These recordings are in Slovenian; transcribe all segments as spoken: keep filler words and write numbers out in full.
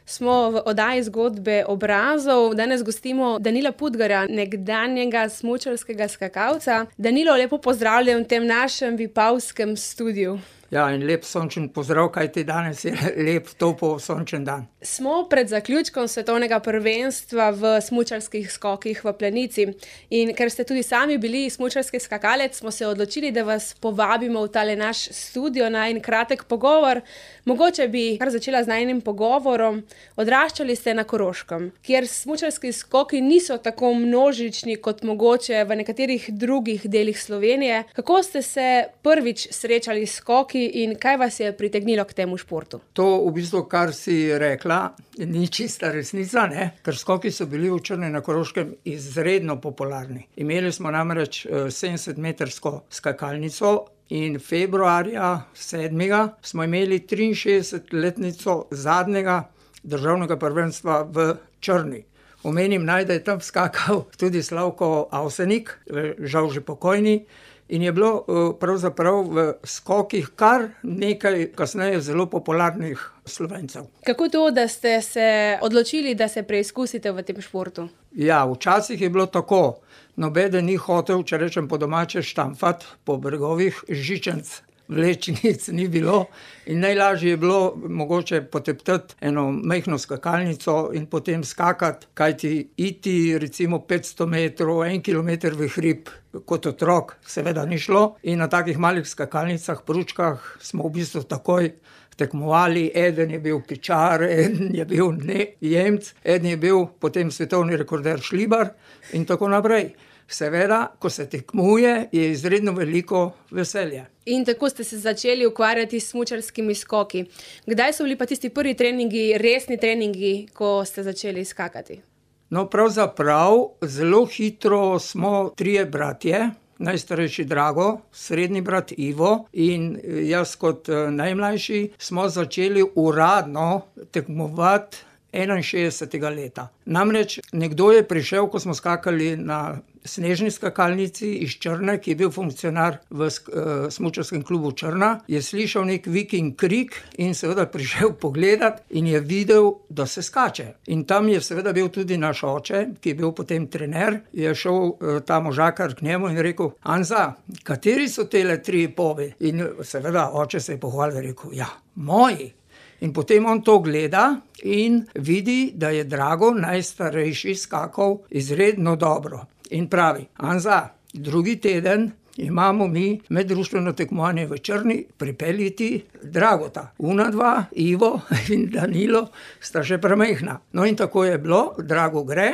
Smo v oddaji Zgodbe obrazov. Danes gostimo Danila Pudgarja, nekdanjega smučarskega skakalca. Danilo, lepo pozdravljen v tem našem vipavskem studiu. Ja, in lep sončen pozdrav, kajti danes je lep, topel, sončen dan. Smo pred zaključkom svetovnega prvenstva v smučarskih skokih v Planici. In ker ste tudi sami bili smučarski skakalec, smo se odločili, da vas povabimo v tale naš studio na en kratek pogovor. Mogoče bi kar začela z najnim pogovorom. Odraščali ste na Koroškem, kjer smučarski skoki niso tako množični kot mogoče v nekaterih drugih delih Slovenije. Kako ste se prvič srečali s skoki in kaj vas je pritegnilo k temu športu? To v bistvu, kar si rekla, ni čista resnica, ne? Ker skoki so bili v Črni na Koroškem izredno popularni. Imeli smo namreč sedemdesetmetrsko skakalnico in februarja sedmega smo imeli triinšestdesetletnico zadnjega državnega prvenstva v Črni. Omenim naj, da je tam skakal tudi Slavko Avsenik, žal že pokojni, in je bilo pravzaprav v skokih kar nekaj kasneje zelo popularnih Slovencev. Kako to, da ste se odločili, da se preizkusite v tem športu? Ja, včasih je bilo tako. Nobeden ni hotel, če rečem po domače, štamfati po bregovih, žičenc, vlečnic ni bilo in najlažje je bilo mogoče poteptati eno majhno skakalnico in potem skakati, kajti iti recimo petsto metrov, en kilometer v hrib kot otrok seveda ni šlo in na takih malih skakalnicah, pručkah smo v bistvu takoj tekmovali. Eden je bil Pičar, eden je bil Jemec, eden je bil potem svetovni rekorder Šlibar in tako naprej. Seveda, ko se tekmuje, je izredno veliko veselje. In tako ste se začeli ukvarjati s smučarskimi skoki. Kdaj so bili pa tisti prvi treningi, resni treningi, ko ste začeli skakati? No, pravzaprav zelo hitro smo trije bratje, najstarejši Drago, srednji brat Ivo in jaz kot najmlajši smo začeli uradno tekmovati enainšestdesetega leta. Namreč nekdo je prišel, ko smo skakali na snežni skakalnici iz Črne, ki je bil funkcionar v smučarskem klubu Črna, je slišal nek vik in krik in seveda prišel pogledat in je videl, da se skače. In tam je seveda bil tudi naš oče, ki je bil potem trener, je šel ta možakar k njemu in rekel: "Anza, kateri so tele tri povi?" In seveda oče se je pohvalil, rekel: "Ja, moji." In potem on to gleda in vidi, da je Drago, najstarejši, skakal izredno dobro. In pravi: "Anza, drugi teden imamo mi meddruštveno tekmovanje v Črni, pripeljiti Dragota. Una dva, Ivo in Danilo, sta še premajhna." No in tako je bilo, Drago gre,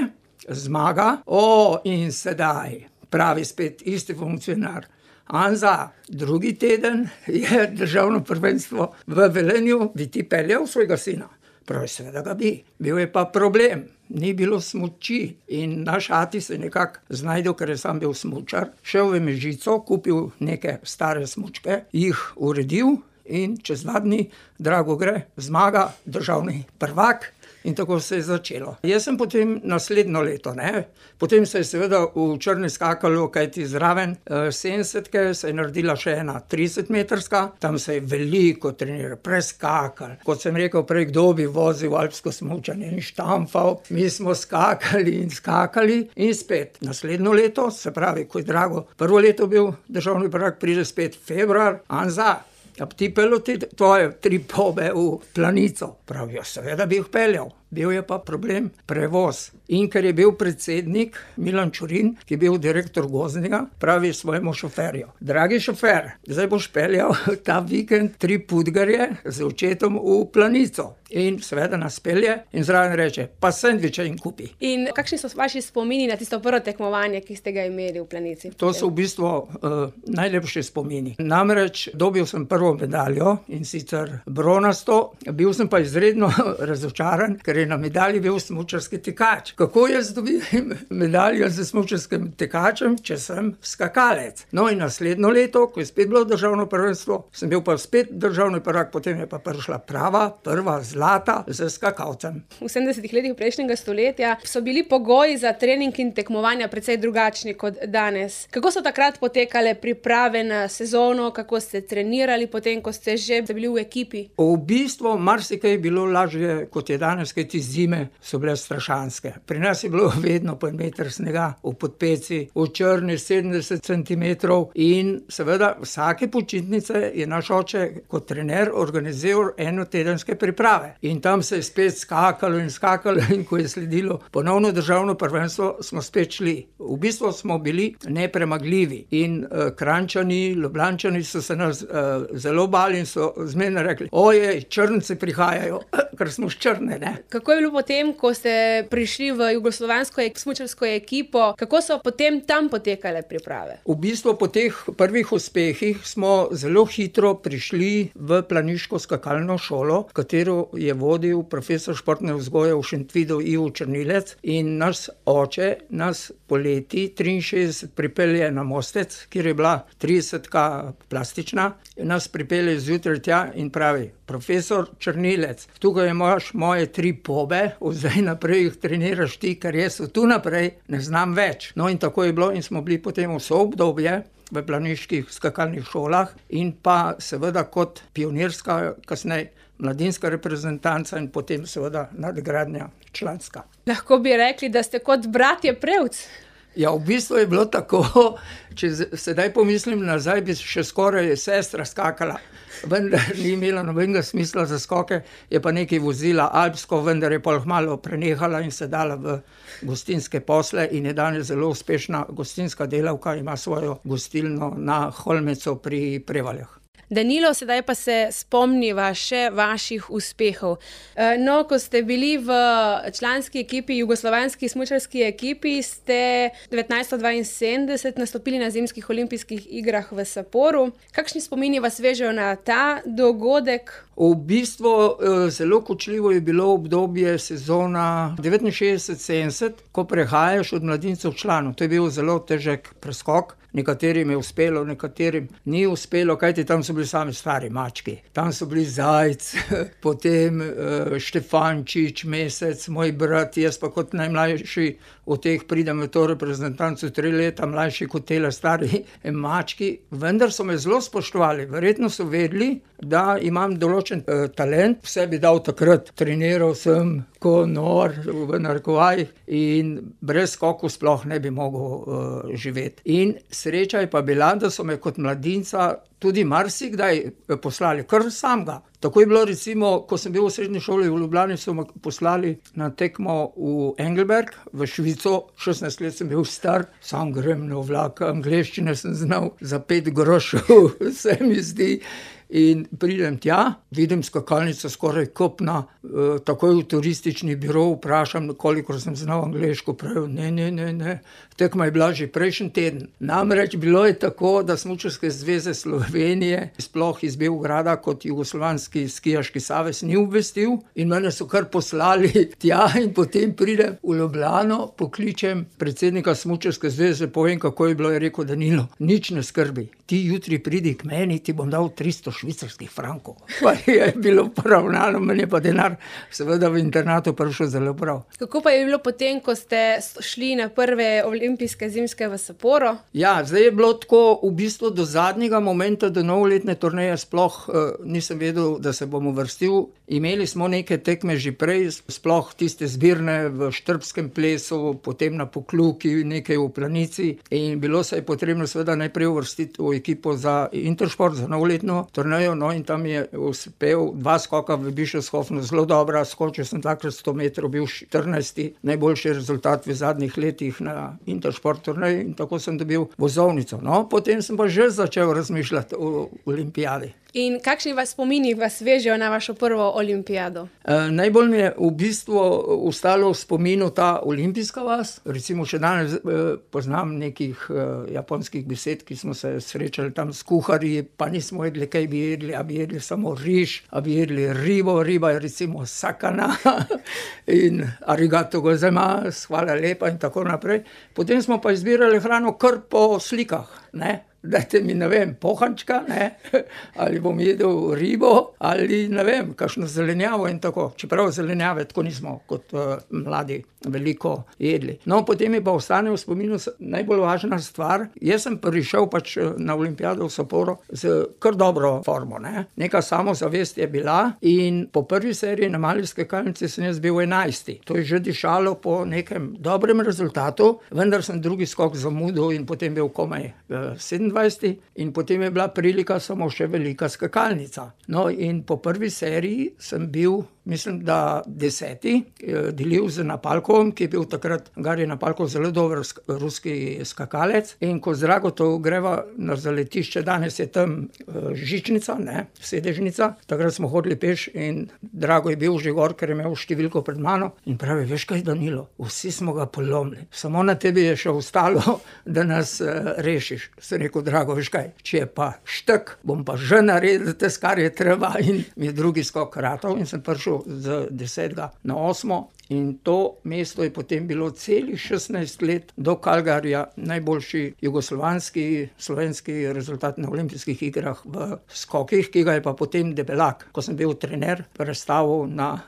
zmaga. O, in sedaj, pravi spet isti funkcionar: "Anza, drugi teden je državno prvenstvo v Velenju, bi ti peljal svojega sina?" Pravi: "Seveda ga bi." Bil je pa problem. Ni bilo smuči in naš ati se nekako znajdel, ker je sam bil smučar. Šel v Mežico, kupil neke stare smučke, jih uredil in čez dva dni Drago gre, zmaga, državni prvak. In tako se je začelo. Jaz sem potem naslednjo leto, ne, potem se je seveda v Črni skakalo, kajti zraven sedemdesetke se je naredila še ena tridesetmetrska, tam se je veliko treniralo, preskakalo. Kot sem rekel prej, kdo bi vozil alpsko smučanje in štamfal, mi smo skakali in skakali in spet. Naslednjo leto, se pravi, ko je Drago prvo leto bil državni prvak, pride spet februar: "Anza, a bi ti peljal te tvoje tri pobe v Planico?" Pravi: "Ja, seveda bi jih peljal." Bil je pa problem prevoz. In ker je bil predsednik Milan Čurin, ki je bil direktor Gozdnega, pravi svojemu šoferju: "Dragi šofer, zdaj boš peljal ta vikend tri Pudgarje z očetom v Planico." In seveda nas pelje in zraven reče: "Pa sendviče jim kupi." In kakšni so vaši spomini na tisto prvo tekmovanje, ki ste ga imeli v Planici? To so v bistvu uh, najlepši spomini. Namreč dobil sem prvo medaljo in sicer bronasto, bil sem pa izredno razočaran, ker je torej na medalji bil smučarski tekač. Kako jaz dobim medaljo z smučarskim tekačem, če sem skakalec? No, in naslednjo leto, ko je spet bilo državno prvenstvo, sem bil pa spet državni prvak, potem je pa prišla prava, prva zlata z skakalcem. V sedemdesetih letih prejšnjega stoletja so bili pogoji za trening in tekmovanja precej drugačni kot danes. Kako so takrat potekale priprave na sezono, kako ste trenirali potem, ko ste že bili v ekipi? V bistvu marsikaj je bilo lažje kot je danes, kajti zime so bile strašanske. Pri nas je bilo vedno po en meter snega, v Podpeci, v Črni sedemdeset centimetrov in seveda vsake počitnice je naš oče kot trener organiziral enotedenske priprave. In tam se je spet skakalo in skakalo in ko je sledilo ponovno državno prvenstvo, smo spet šli. V bistvu smo bili nepremagljivi in uh, Kranjčani, Ljubljančani so se nas uh, zelo bali in so zmerno rekli: "Ojej, Črnci prihajajo," ker smo s Črne, ne. Kako je bilo potem, ko ste prišli v jugoslovansko smučarsko ekipo, kako so potem tam potekale priprave? V bistvu po teh prvih uspehih smo zelo hitro prišli v planiško skakalno šolo, katero je vodil profesor športne vzgoje v Šentvidu Ivo Črnilec, in naš oče nas poleti triinšestdeset pripelje na Mostec, kjer je bila tridesetka plastična, nas pripelje zjutraj tja in pravi: "Profesor Črnilec, tukaj imaš moje tri pobe, od zdaj naprej jih treniraš ti, ker jaz od tu naprej ne znam več." No, in tako je bilo in smo bili potem vso obdobje v planiških skakalnih šolah in pa seveda kot pionirska, kasneje mladinska reprezentanca in potem seveda nadgradnja članska. Lahko bi rekli, da ste kot bratje Prevc. Ja, v bistvu je bilo tako, če sedaj pomislim nazaj, bi še skoraj sestra skakala. Vendar ni imela nobenega smisla za skoke, je pa nekaj vozila alpsko, vendar je pol malo prenehala in se dala v gostinske posle in je danes zelo uspešna gostinska delavka, ima svojo gostilno na Holmecu pri Prevaljah. Danilo, sedaj pa se spomniva še vaših uspehov. No, ko ste bili v članski ekipi, jugoslovanski smučarski ekipi, ste devetnajststo dvainsedemdeset nastopili na zimskih olimpijskih igrah v Saporu. Kakšni spomini vas vežejo na ta dogodek? V bistvu zelo kočljivo je bilo obdobje sezona devetinšestdeset sedemdeset, ko prehajaš od mladincev članov. To je bil zelo težek preskok. Nekaterim je uspelo, nekaterim ni uspelo, kajti tam so bili sami stari mački. Tam so bili Zajc, potem uh, Štefančič, Mesec, moj brat, jaz pa kot najmlajši od teh pridem v to reprezentanco, tri leta mlajši kot tele stari mački. Vendar so me zelo spoštovali, verjetno so vedeli, da imam določen uh, talent. Vse bi dal takrat, treniral sem ko nor v narekovajih in brez skokov sploh ne bi mogel uh, živeti. In sreča je pa bila, da so me kot mladinca tudi marsikdaj poslali, kar samega. Tako je bilo recimo, ko sem bil v srednji šoli v Ljubljani, so me poslali na tekmo v Engelberg, v Švico, šestnajst let sem bil star, sam grem na vlak, angleščine sem znal za pet grošev, se mi zdi. In pridem tja, vidim skakalnico skoraj kopna, e, takoj v turistični biro vprašam, koliko sem znal angleško, pravijo, ne, ne, ne, ne, tekma je bila že prejšnji teden. Namreč bilo je tako, da Smučarske zveze Slovenije, sploh iz Beograda kot jugoslovanski skijaški savez ni obvestil in mene so kar poslali tja in potem pridem v Ljubljano, pokličem predsednika Smučarske zveze, povem, kako je bilo, je rekel: "Danilo, nič ne skrbi, ti jutri pridi k meni, ti bom dal tristo švicarskih frankov." Pa je bilo poravnano, meni je pa denar seveda v internatu prišel zelo prav. Kako pa je bilo potem, ko ste šli na prve olimpijske zimske v Saporu? Ja, zdaj je bilo tako v bistvu do zadnjega momenta, do novoletne turneje sploh uh, nisem vedel, da se bom uvrstil. Imeli smo neke tekme že prej, sploh tiste zbirne v štrbskem plesu, potem na Pokluki, nekaj v Planici in bilo se je potrebno seveda najprej uvrstiti v ekipo za Intersport, za novoletno turnejo, no in tam je uspel dva skoka v Bischofshofenu, zelo dobra, skočil sem dvakrat sto metrov, bil štirinajsti najboljši rezultat v zadnjih letih na Intersport turneji in tako sem dobil vozovnico. No, potem sem pa že začel razmišljati o olimpijadi. In kakšni vas spomini vas vežejo na vašo prvo olimpijado? E, najbolj mi je v bistvu ostalo v spominu ta olimpijska vas. Recimo še danes e, poznam nekih e, japonskih besed, ki smo se srečali tam s kuharji, pa nismo vedeli, kaj bi jedli, a bi jedli samo riž, a bi jedli ribo, riba je recimo sakana in arigato gozaimasu, hvala lepa in tako naprej. Potem smo pa izbirali hrano kar po slikah, ne. Dajte mi, ne vem, pohančka, ne, ali bom jedel ribo, ali ne vem, kakšno zelenjavo in tako. Čeprav zelenjave tako nismo kot uh, mladi veliko jedli. No, potem mi pa ostane v spominu najbolj važna stvar. Jaz sem prišel pač na olimpijado v Sapporo z kar dobro formo, ne. Neka samozavest je bila in po prvi seriji na mali skakalnici sem jaz bil enajsti. To je že dišalo po nekem dobrem rezultatu, vendar sem drugi skok zamudil in potem bil komaj uh, sedemindvajseti in potem je bila prilika samo še velika skakalnica. No, in po prvi seriji sem bil, mislim, da deseti, delil z Napalkovom, ki je bil takrat Garij Napalkov zelo dober ruski skakalec. In ko z Dragotov greva na zaletišče, danes je tam žičnica, ne, sedežnica, takrat smo hodili peš in Drago je bil že gor, ker je imel številko pred mano in pravi, veš kaj, Danilo, vsi smo ga polomili, samo na tebi je še ostalo, da nas uh, rešiš. Sem rekel, Drago, veš kaj, če je pa štek, bom pa že naredil tes, kar je treba, in mi je drugi skok ratal in sem prišel z desetega na osmo. In to mesto je potem bilo celih šestnajst let do Calgaryja najboljši jugoslovanski, slovenski rezultat na olimpijskih igrah v skokih, ki ga je pa potem Debelak, ko sem bil trener, prestavil na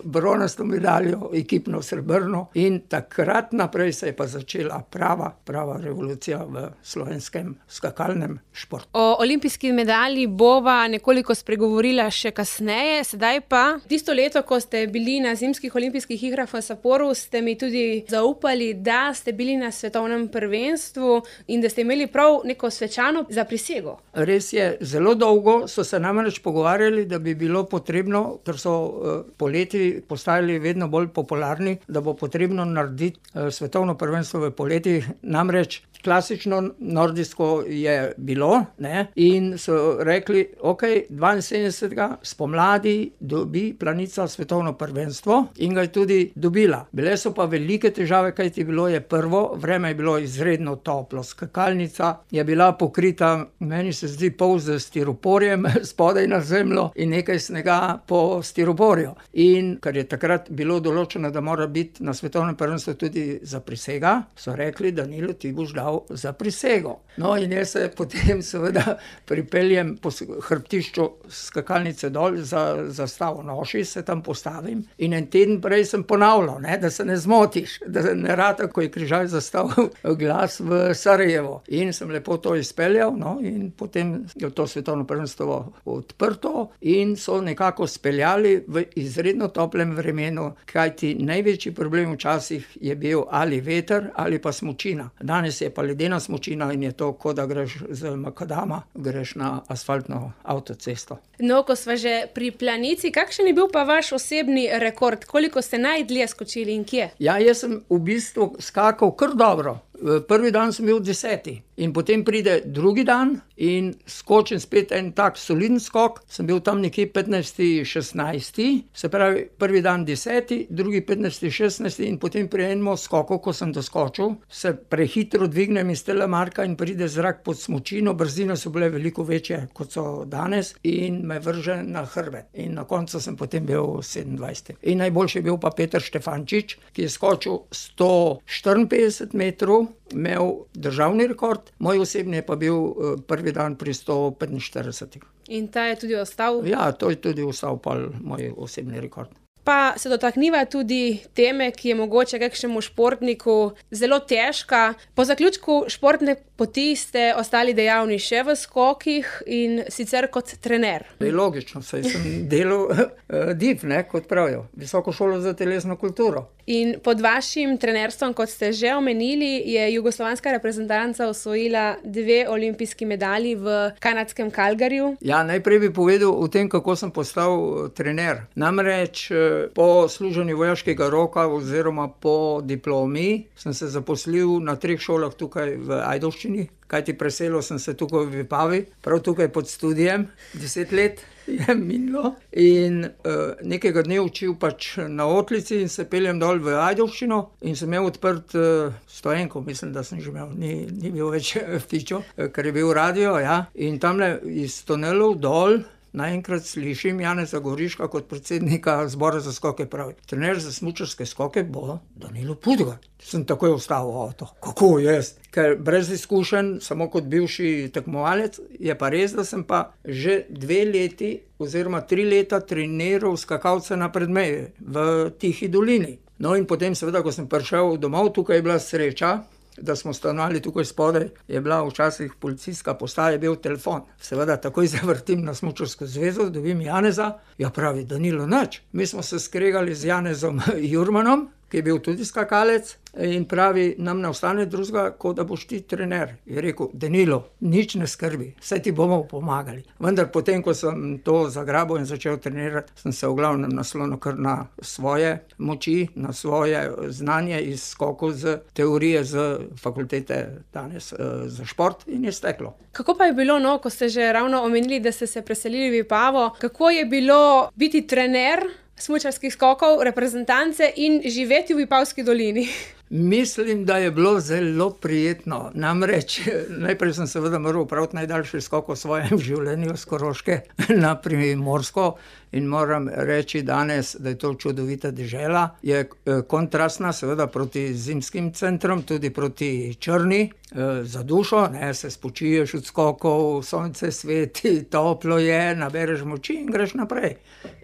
bronasto medaljo, ekipno srebrno, in takrat naprej se je pa začela prava, prava revolucija v slovenskem skakalnem športu. O olimpijski medalji bova nekoliko spregovorila še kasneje, sedaj pa tisto leto, ko ste bili na zimskih olimpijskih igrah v Sapporu, ste mi tudi zaupali, da ste bili na svetovnem prvenstvu in da ste imeli prav neko svečano zaprisego. Res je, zelo dolgo so se namreč pogovarjali, da bi bilo potrebno, ker so uh, poleti postajali vedno bolj popularni, da bo potrebno narediti uh, svetovno prvenstvo v poleti, namreč klasično nordijsko je bilo, ne, in so rekli, ok, dvainsedemdesetega spomladi dobi Planica svetovno prvenstvo in ga je tudi dobila. Bile so pa velike težave, kajti bilo je prvo, vreme je bilo izredno toplo, skakalnica je bila pokrita, meni se zdi, pol z stiroporjem spodaj na zemljo in nekaj snega po stiroporju. In ker je takrat bilo določeno, da mora biti na svetovnem prvenstvu tudi zaprisega, so rekli, Danilo, ti boš dal za prisego. No, in jaz se potem seveda pripeljem po hrbtišču skakalnice dol za zastavo noši, se tam postavim in en teden prej sem ponavljal, ne, da se ne zmotiš, da ne rata, ko je križaj zastavil glas v Sarajevo. In sem lepo to izpeljal, no, in potem je to svetovno prvenstvo odprto in so nekako speljali v izredno toplem vremenu, kajti največji problem včasih je bil ali veter ali pa smučina. Danes je pa ledena smučina in je to, kot da greš z makadama, greš na asfaltno avtocesto. No, ko sva že pri Planici, kakšen je bil pa vaš osebni rekord? Koliko ste najdlje skočili in kje? Ja, jaz sem v bistvu skakal kar dobro. Prvi dan sem bil deseti in potem pride drugi dan in skočim spet en tak soliden skok, sem bil tam nekje petnajsti, šestnajsti, se pravi prvi dan deseti, drugi petnajsti, šestnajsti in potem pri enem skoku, ko sem doskočil, se prehitro dvignem iz telemarka in pride zrak pod smučino, brzine so bile veliko večje, kot so danes, in me vrže na hrbet. In na koncu sem potem bil sedemindvajseti. In najboljši je bil pa Peter Štefančič, ki je skočil sto štiriinpetdeset metrov, imel državni rekord, moj osebni je pa bil prvi dan pri sto petinštiridesetih. In ta je tudi ostal? Ja, to je tudi ostal pa moj osebni rekord. Pa se dotakniva tudi teme, ki je mogoče kakšnemu športniku zelo težka. Po zaključku športne poti ste ostali dejavni še v skokih in sicer kot trener. Je logično, saj sem delal D I F, ne, kot pravijo, Visoko šolo za telesno kulturo. In pod vašim trenerstvom, kot ste že omenili, je jugoslovanska reprezentanca osvojila dve olimpijski medalji v kanadskem Calgaryju. Ja, najprej bi povedal o tem, kako sem postal trener. Namreč po služenju vojaškega roka oziroma po diplomi sem se zaposlil na treh šolah tukaj v Ajdovščini, kajti preselil sem se tukaj v Vipavi, prav tukaj pod studijem, deset let je minilo in uh, nekega dne učil pač na Otlici in se peljem dol v Ajdovščino in sem imel odprt uh, stoenko, mislim, da sem že imel, ni, ni bil več fičo, ker je bil radio, ja, in tamle iz tunelov dol naenkrat slišim Janeza Goriška kot predsednika zbora za skoke pravi: trener za smučarske skoke bo Danilo Pudgar. Sem takoj ostal v avto. Kako jaz? Ker brez izkušenj, samo kot bivši tekmovalec, je pa res, da sem pa že dve leti oziroma tri leta treniral skakalce na Predmeji v Tihi dolini. No in potem seveda, ko sem prišel domov, tukaj je bila sreča, da smo stanovali tukaj spodaj, je bila včasih policijska postaja, je bil telefon. Seveda takoj zavrtim na Smučarsko zvezo, dobim Janeza, ja pravi, Danilo nič. Mi smo se skregali z Janezom Jurmanom, ki je bil tudi skakalec, in pravi, nam ne ostane drugega, kot da boš ti trener. Je rekel: Danilo, nič ne skrbi, saj ti bomo pomagali. Vendar potem, ko sem to zagrabil in začel trenirati, sem se v glavnem naslonil kar na svoje moči, na svoje znanje iz skokov z teorije z fakultete danes za šport in je steklo. Kako pa je bilo, no, ko ste že ravno omenili, da ste se preselili v Vipavo, kako je bilo biti trener smučarskih skokov, reprezentance in živeti v Vipavski dolini? Mislim, da je bilo zelo prijetno. Namreč, najprej sem seveda moral opraviti najdaljši skok v svojem življenju s Koroške na Primorsko in moram reči danes, da je to čudovita dežela. Je kontrastna seveda proti zimskim centrom, tudi proti Črni, za dušo, ne, se spočiješ od skokov, sonce sveti, toplo je, nabereš moči in greš naprej.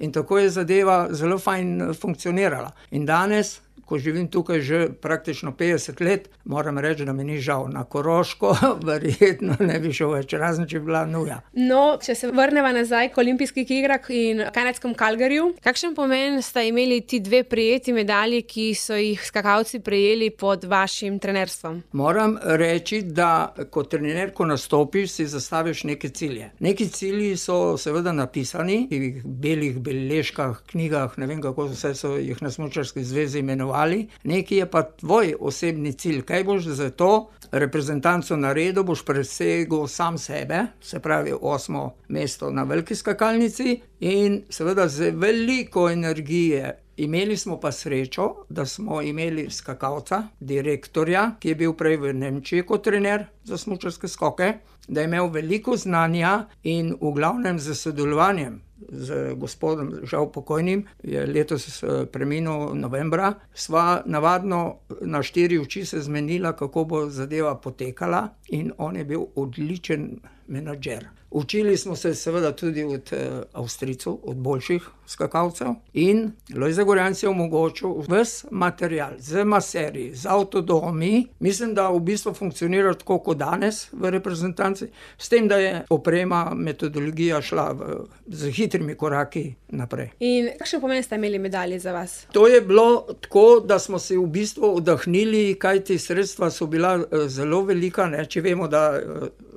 In tako je zadeva zelo fajn funkcionirala. In danes, ko živim tukaj že praktično petdeset let, moram reči, da mi ni žal. Na Koroško verjetno ne bi šel več, razen če bi bila nuja. No, če se vrneva nazaj k olimpijskih igrah in kanadskem Calgaryju, kakšen pomen sta imeli ti dve prejeti medalji, ki so jih skakalci prejeli pod vašim trenerstvom? Moram reči, da kot trener, ko nastopiš, si zastaviš neke cilje. Neki cilji so seveda napisani v belih beležkah, knjigah, ne vem kako vse so jih na Smučarski zvezi imenovali. Neki je pa tvoj osebni cilj. Kaj boš za to reprezentanco naredil, boš presegel sam sebe, se pravi osmo mesto na veliki skakalnici in seveda z veliko energije. Imeli smo pa srečo, da smo imeli skakalca, direktorja, ki je bil prej v Nemčiji kot trener za smučarske skoke, da je imel veliko znanja in v glavnem z sodelovanjem z gospodom, žal pokojnim, je letos preminil novembra, sva navadno na štiri oči se zmenila, kako bo zadeva potekala in on je bil odličen menadžer. Učili smo se seveda tudi od Avstrijcev, od boljših skakalcev in Lojze Gorjanc je omogočil ves material z maserji, z avtodomi. Mislim, da v bistvu funkcionira tako kot danes v reprezentanci, s tem, da je oprema, metodologija šla v, z hitrimi koraki naprej. In kakšen pomen sta imeli medalje za vas? To je bilo tako, da smo se v bistvu oddahnili, kajti sredstva so bila zelo velika, ne? Če vemo, da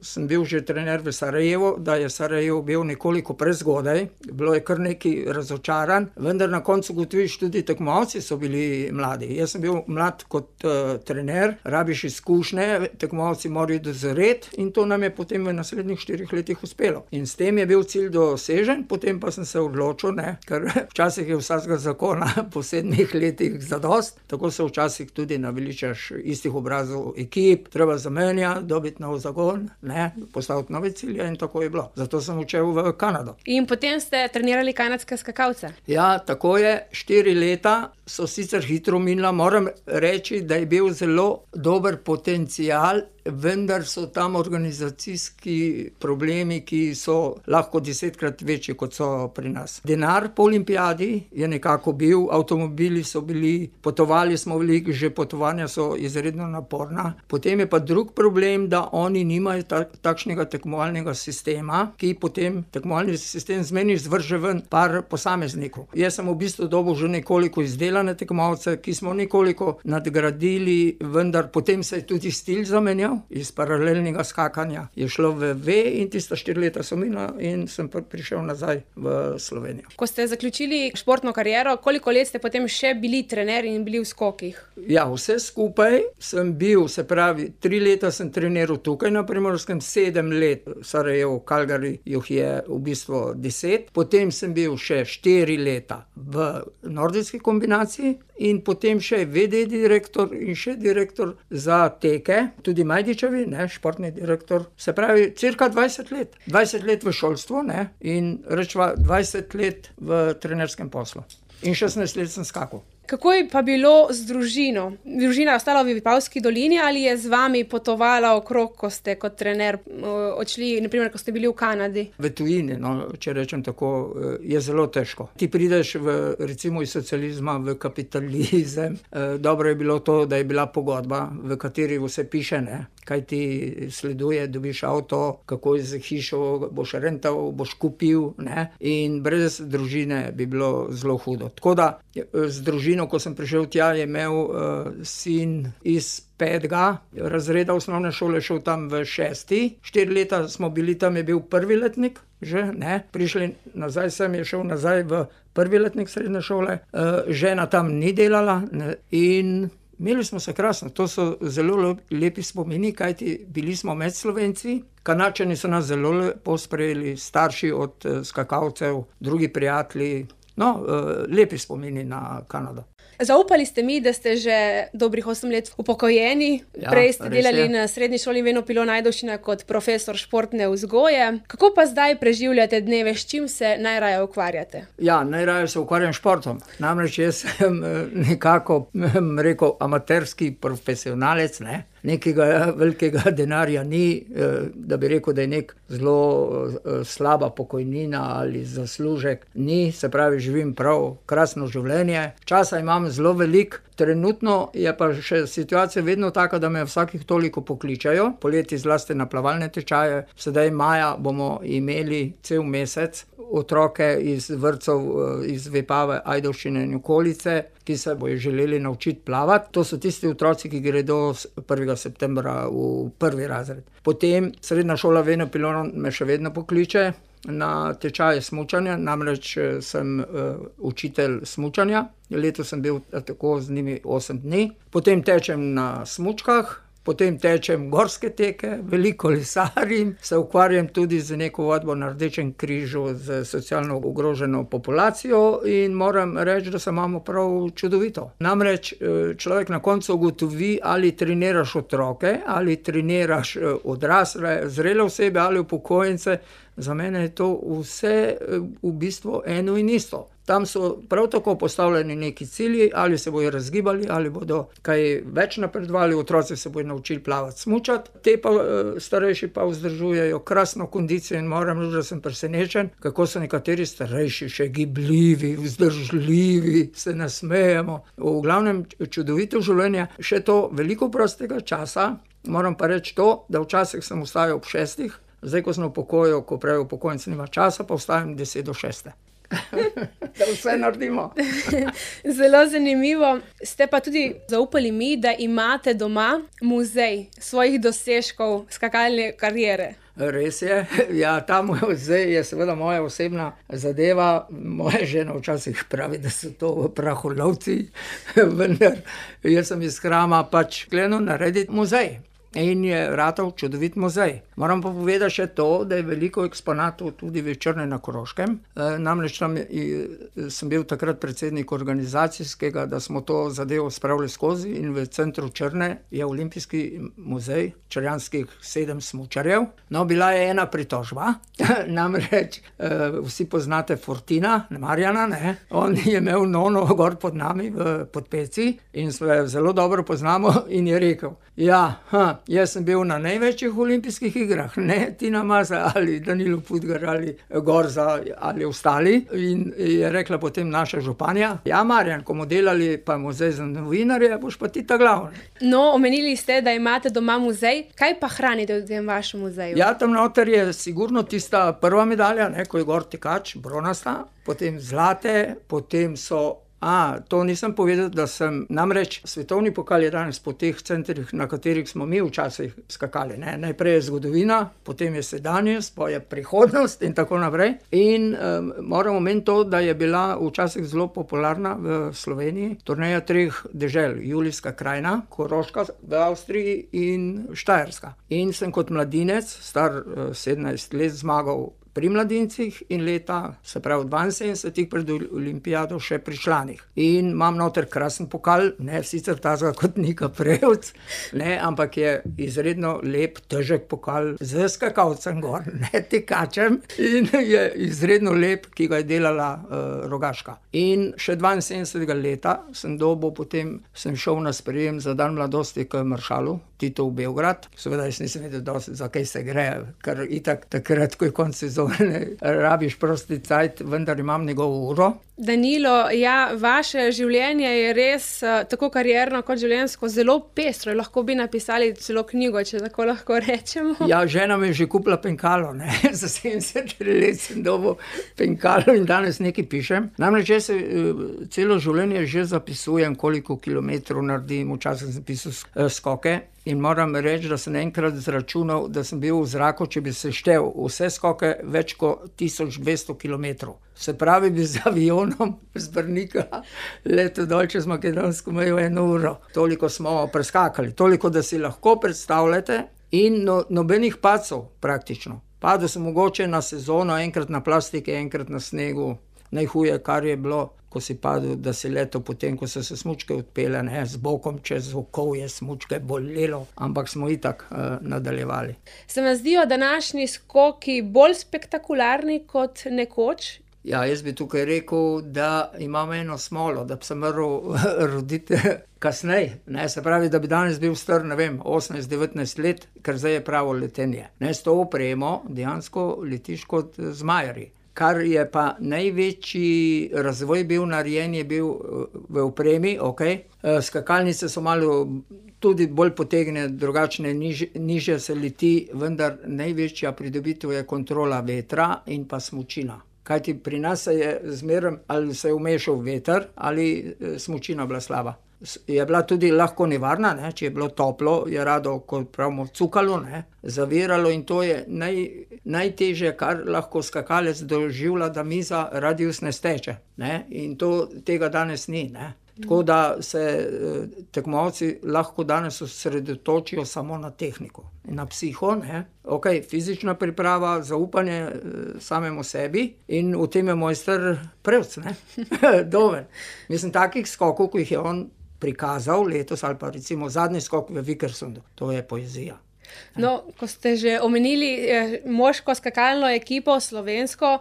sem bil že trener v Sarajevu, da je Sarajevo bil nekoliko prezgodaj, bilo je kar nekaj razočaran, vendar na koncu gotoviš, tudi tekmovalci so bili mladi. Jaz sem bil mlad kot uh, trener, rabiš izkušnje, tekmovalci morajo dozoreti in to nam je potem v naslednjih štirih letih uspelo. In s tem je bil cilj dosežen, potem pa sem se odločil, ne, ker včasih je vsakega zakona po sedmih letih zadost, tako se včasih tudi naveličaš istih obrazov ekip, treba zamenjati, dobiti nov zagon, ne, postaviti nove cilje in tako je bilo. Zato sem učel v Kanado. In potem ste trenirali kanadske skakalce? Ja, tako je. Štiri leta so sicer hitro minila, moram reči, da je bil zelo dober potencial, vendar so tam organizacijski problemi, ki so lahko desetkrat večji, kot so pri nas. Denar po olimpijadi je nekako bil, avtomobili so bili, potovali smo veliko, že potovanja so izredno naporna. Potem je pa drug problem, da oni nimajo tak, takšnega tekmovalnega sistema, ki potem tekmovalni sistem zmeni zvrže ven par posameznikov. Jaz sem v bistvu dobil že nekoliko izdelan izdelane tekmovalce, ki smo nekoliko nadgradili, vendar potem se je tudi stil zamenjal, iz paralelnega skakanja je šlo v V in tista štiri leta so minila in sem prišel nazaj v Slovenijo. Ko ste zaključili športno kariero, koliko let ste potem še bili trener in bili v skokih? Ja, vse skupaj sem bil, se pravi, tri leta sem treniral tukaj na Primorskem, sedem let v Sarajevu, Calgary, jih je v bistvu deset. Potem sem bil še štiri leta v nordijski kombinaciji in potem še V D direktor in še direktor za teke, tudi Majdičevi, ne, športni direktor. Se pravi, cirka dvajset let. dvajset let v šolstvu, ne, in rečva dvajset let v trenerskem poslu. In šestnajst let sem skakal. Kako je pa bilo z družino? Družina je ostala v Vipavski dolini ali je z vami potovala okrog, ko ste kot trener odšli, na primer, ko ste bili v Kanadi? V tujini, no, če rečem tako, je zelo težko. Ti prideš v, recimo iz socializma v kapitalizem. Dobro je bilo to, da je bila pogodba, v kateri vse piše, ne, kaj ti sleduje, dobiš avto, kako z hišo boš rental, boš kupil, ne, in brez družine bi bilo zelo hudo. Tako da z družino, ko sem prišel tja, je imel uh, sin iz petega razreda osnovne šole, šel tam v šesti. Štiri leta smo bili tam, je bil prvi letnik, že, ne, prišli nazaj sem, je šel nazaj v prvi letnik srednje šole. Uh, žena tam ni delala, ne, in imeli smo se krasno. To so zelo lepi spomini, kajti bili smo med Slovenci. Kanadčani so nas zelo lepo sprejeli, starši od uh, skakalcev, drugi prijatelji. No, lepi spomini na Kanado. Zaupali ste mi, da ste že dobrih osem let upokojeni. Ja, prej ste delali je. Na srednji šoli Veno Pilon Ajdovščina kot profesor športne vzgoje. Kako pa zdaj preživljate dneve, s čim se najraje ukvarjate? Ja, najraje se ukvarjam športom. Namreč jaz sem nekako, rekel, amaterski profesionalec, ne. Nekega velikega denarja ni, da bi rekel, da je nek zelo slaba pokojnina ali zaslužek. Ni, se pravi, živim prav krasno življenje. Časa imam zelo veliko. Trenutno je pa še situacija vedno taka, da me vsakih toliko pokličajo. Poleti zlasti na plavalne tečaje. Sedaj maja bomo imeli cel mesec otroke iz vrtcev, iz Vipave, Ajdovščine in okolice, ki se bojo želeli naučiti plavati. To so tisti otroci, ki gredo prvega septembra v prvi razred. Potem srednja šola Veno Pilon me še vedno pokliče na tečaje smučanja, namreč sem uh, učitelj smučanja. Letos sem bil tako z njimi osem dni. Potem tečem na smučkah, potem tečem gorske teke, veliko lesarim, se ukvarjam tudi z neko vadbo na Rdečem križu z socialno ogroženo populacijo in moram reči, da se imamo prav čudovito. Namreč človek na koncu ugotovi, ali treniraš otroke, ali treniraš odrasle, zrele osebe ali upokojence. Za mene je to vse v bistvu eno in isto. Tam so prav tako postavljeni neki cilji, ali se bojo razgibali, ali bodo kaj več napredovali, otroci se bojo naučili plavati, smučati. Te pa starejši pa vzdržujejo krasno kondicijo in moram reči, da sem presenečen, kako so nekateri starejši še gibljivi, vzdržljivi, se nasmejemo. V glavnem čudovito življenje, še to veliko prostega časa. Moram pa reči to, da včasih sem vstajal ob šestih, zdaj, ko sem v pokoju, ko pravi upokojenec nima časa, pa vstajam deset do šeste. Da vse naredimo. Zelo zanimivo. Ste pa tudi zaupali mi, da imate doma muzej svojih dosežkov skakalne kariere. Res je. Ja, ta muzej je seveda moja osebna zadeva. Moja žena včasih pravi, da so to praholovci, vendar jaz sem iz Krama pač sklenil narediti muzej. In je ratal čudovit muzej. Moram pa povedati še to, da je veliko eksponatov tudi v Črni na Koroškem. E, namreč tam sem bil takrat predsednik organizacijskega, da smo to zadevo spravili skozi in v centru Črne je olimpijski muzej črnjanskih sedem smučarjev. No, bila je ena pritožba, namreč e, vsi poznate Fortina, Marjana, ne? On je imel nono gor pod nami v Podpeci in se zelo dobro poznamo in je rekel, ja, ha, jaz sem bil na največjih olimpijskih igrah, ne Tina Maze ali Danilo Pudgar ali Gorza ali ostali. In je rekla potem naša županja, ja, Marjan, ko bomo delali pa muzej za novinarje, boš pa ti ta glavni. No, omenili ste, da imate doma muzej. Kaj pa hranite v tem vašem muzeju? Ja, tam noter je sigurno tista prva medalja, ne, ko je gor tekač, bronasta, potem zlate, potem so A, to nisem povedal, da sem, namreč svetovni pokal je danes po teh centrih, na katerih smo mi včasih skakali, ne. Najprej je zgodovina, potem je sedanjost, pol je prihodnost in tako naprej. In um, moram omeniti to, da je bila včasih zelo popularna v Sloveniji turneja treh dežel, Julijska krajina, Koroška v Avstriji in Štajerska. In sem kot mladinec, star uh, sedemnajst let, zmagal pri mladincih in leta, se pravi dvainsedemdesetih pred olimpijado še pri članih. In imam noter krasen pokal, ne sicer tazga kot Nika Prevc, ne, ampak je izredno lep, težek pokal z skakalcem gor, ne tekačem, in je izredno lep, ki ga je delala uh, Rogaška. In še dvainsedemdesetega leta sem dobil, potem sem šel na sprejem za dan mladosti k maršalu Titu v Beograd. Seveda jaz nisem vedel dosti, za kaj se gre, ker itak takrat, ko je konec sezone, rabiš prosti cajt, vendar imam njegovo uro. Danilo, ja, vaše življenje je res uh, tako karierno kot življenjsko zelo pestro. Lahko bi napisali celo knjigo, če tako lahko rečemo. Ja, žena mi je že kupila penkalo, ne, za sedemdeset let sem dobil penkalo in danes nekaj pišem. Namreč jaz se uh, celo življenje že zapisujem, koliko kilometrov naredim, včasih sem pisal uh, skoke. In moram reči, da sem enkrat zračunal, da sem bil v zraku, če bi seštel vse skoke, več kot tisoč dvesto kilometrov. Se pravi, bi z avionom z Brnika letel dol čez makedonsko mejo eno uro. Toliko smo preskakali, toliko, da si lahko predstavljate, in no, nobenih padcev praktično. Padel sem mogoče na sezono, enkrat na plastike, enkrat na snegu. Najhuje, kar je bilo, ko si padel, da si letel potem, ko so se smučke odpele, ne, z bokom čez okovje, smučke bolelo, ampak smo itak uh, nadaljevali. Se vam zdijo današnji skoki bolj spektakularni kot nekoč? Ja, jaz bi tukaj rekel, da imam eno smolo, da bi se moral roditi kasneje, ne, se pravi, da bi danes bil star, ne vem, osemnajst devetnajst let, ker zdaj je pravo letenje. Ne, s to opremo dejansko letiš kot zmajarji. Kar je pa največji razvoj bil narejen, je bil v opremi, okej. Skakalnice so malo tudi bolj potegnjene, drugačne, niž, nižje se leti, vendar največja pridobitev je kontrola vetra in pa smučina. Kajti pri nas se je zmeraj, ali se je vmešal veter, ali smučina bila slaba. Je bila tudi lahko nevarna, ne? Če je bilo toplo, je rado, kot pravimo, cukalo, ne? Zaviralo, in to je naj, najtežje, kar lahko skakalec doživlja, da miza radiusne steče, ne? In to, tega danes ni, ne? Tako da se eh, tekmovalci lahko danes osredotočijo samo na tehniko in na psiho, ne? Okej, fizična priprava, zaupanje eh, samemu sebi, in v tem je mojster Prevc, ne? Domen. Mislim, takih skokov, ko jih je on prikazal letos, ali pa recimo zadnji skok v Vikersundu, to je poezija. No, ko ste že omenili eh, moško skakalno ekipo, slovensko,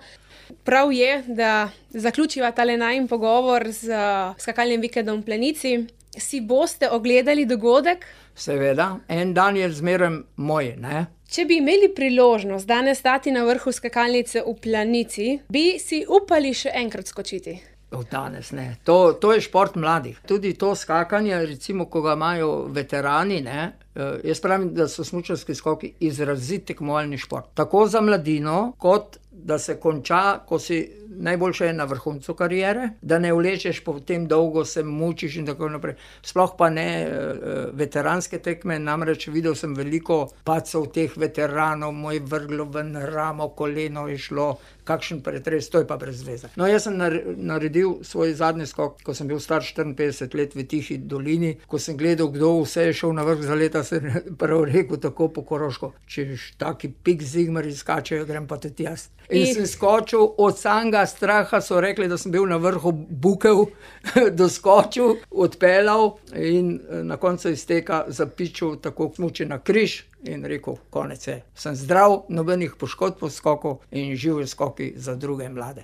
prav je, da zaključiva tale najin pogovor z uh, skakalnim vikendom v Planici. Si boste ogledali dogodek? Seveda, en dan je zmeraj moj, ne? Če bi imeli priložnost danes stati na vrhu skakalnice v Planici, bi si upali še enkrat skočiti? Od danes ne. To, to je šport mladih. Tudi to skakanje, recimo, ko ga imajo veterani, ne, jaz pravim, da so smučarski skoki izrazit tekmovalni šport. Tako za mladino, kot da se konča, ko si najboljše na vrhuncu kariere, da ne vlečeš, potem dolgo se mučiš in tako naprej. Sploh pa ne veteranske tekme, namreč videl sem veliko padcev teh veteranov, moj vrglo ven ramo, koleno je šlo, kakšen pretres, to je pa brez veze. No, jaz sem naredil svoj zadnji skok, ko sem bil star štiriinpetdeset let v Tihi dolini, ko sem gledal, kdo vse je šel na vrh za leta, sem prav rekel tako po koroško, če taki pik zigmar izskačejo, grem pa tudi jaz. In I... sem skočil, od samega straha so rekli, da sem bil na vrhu bukev, doskočil, odpeljal in na koncu izteka zapičil tako smuči na križ in rekel, konec je. Sem zdrav, nobenih poškodb po skoku in živi skoki za druge mlade.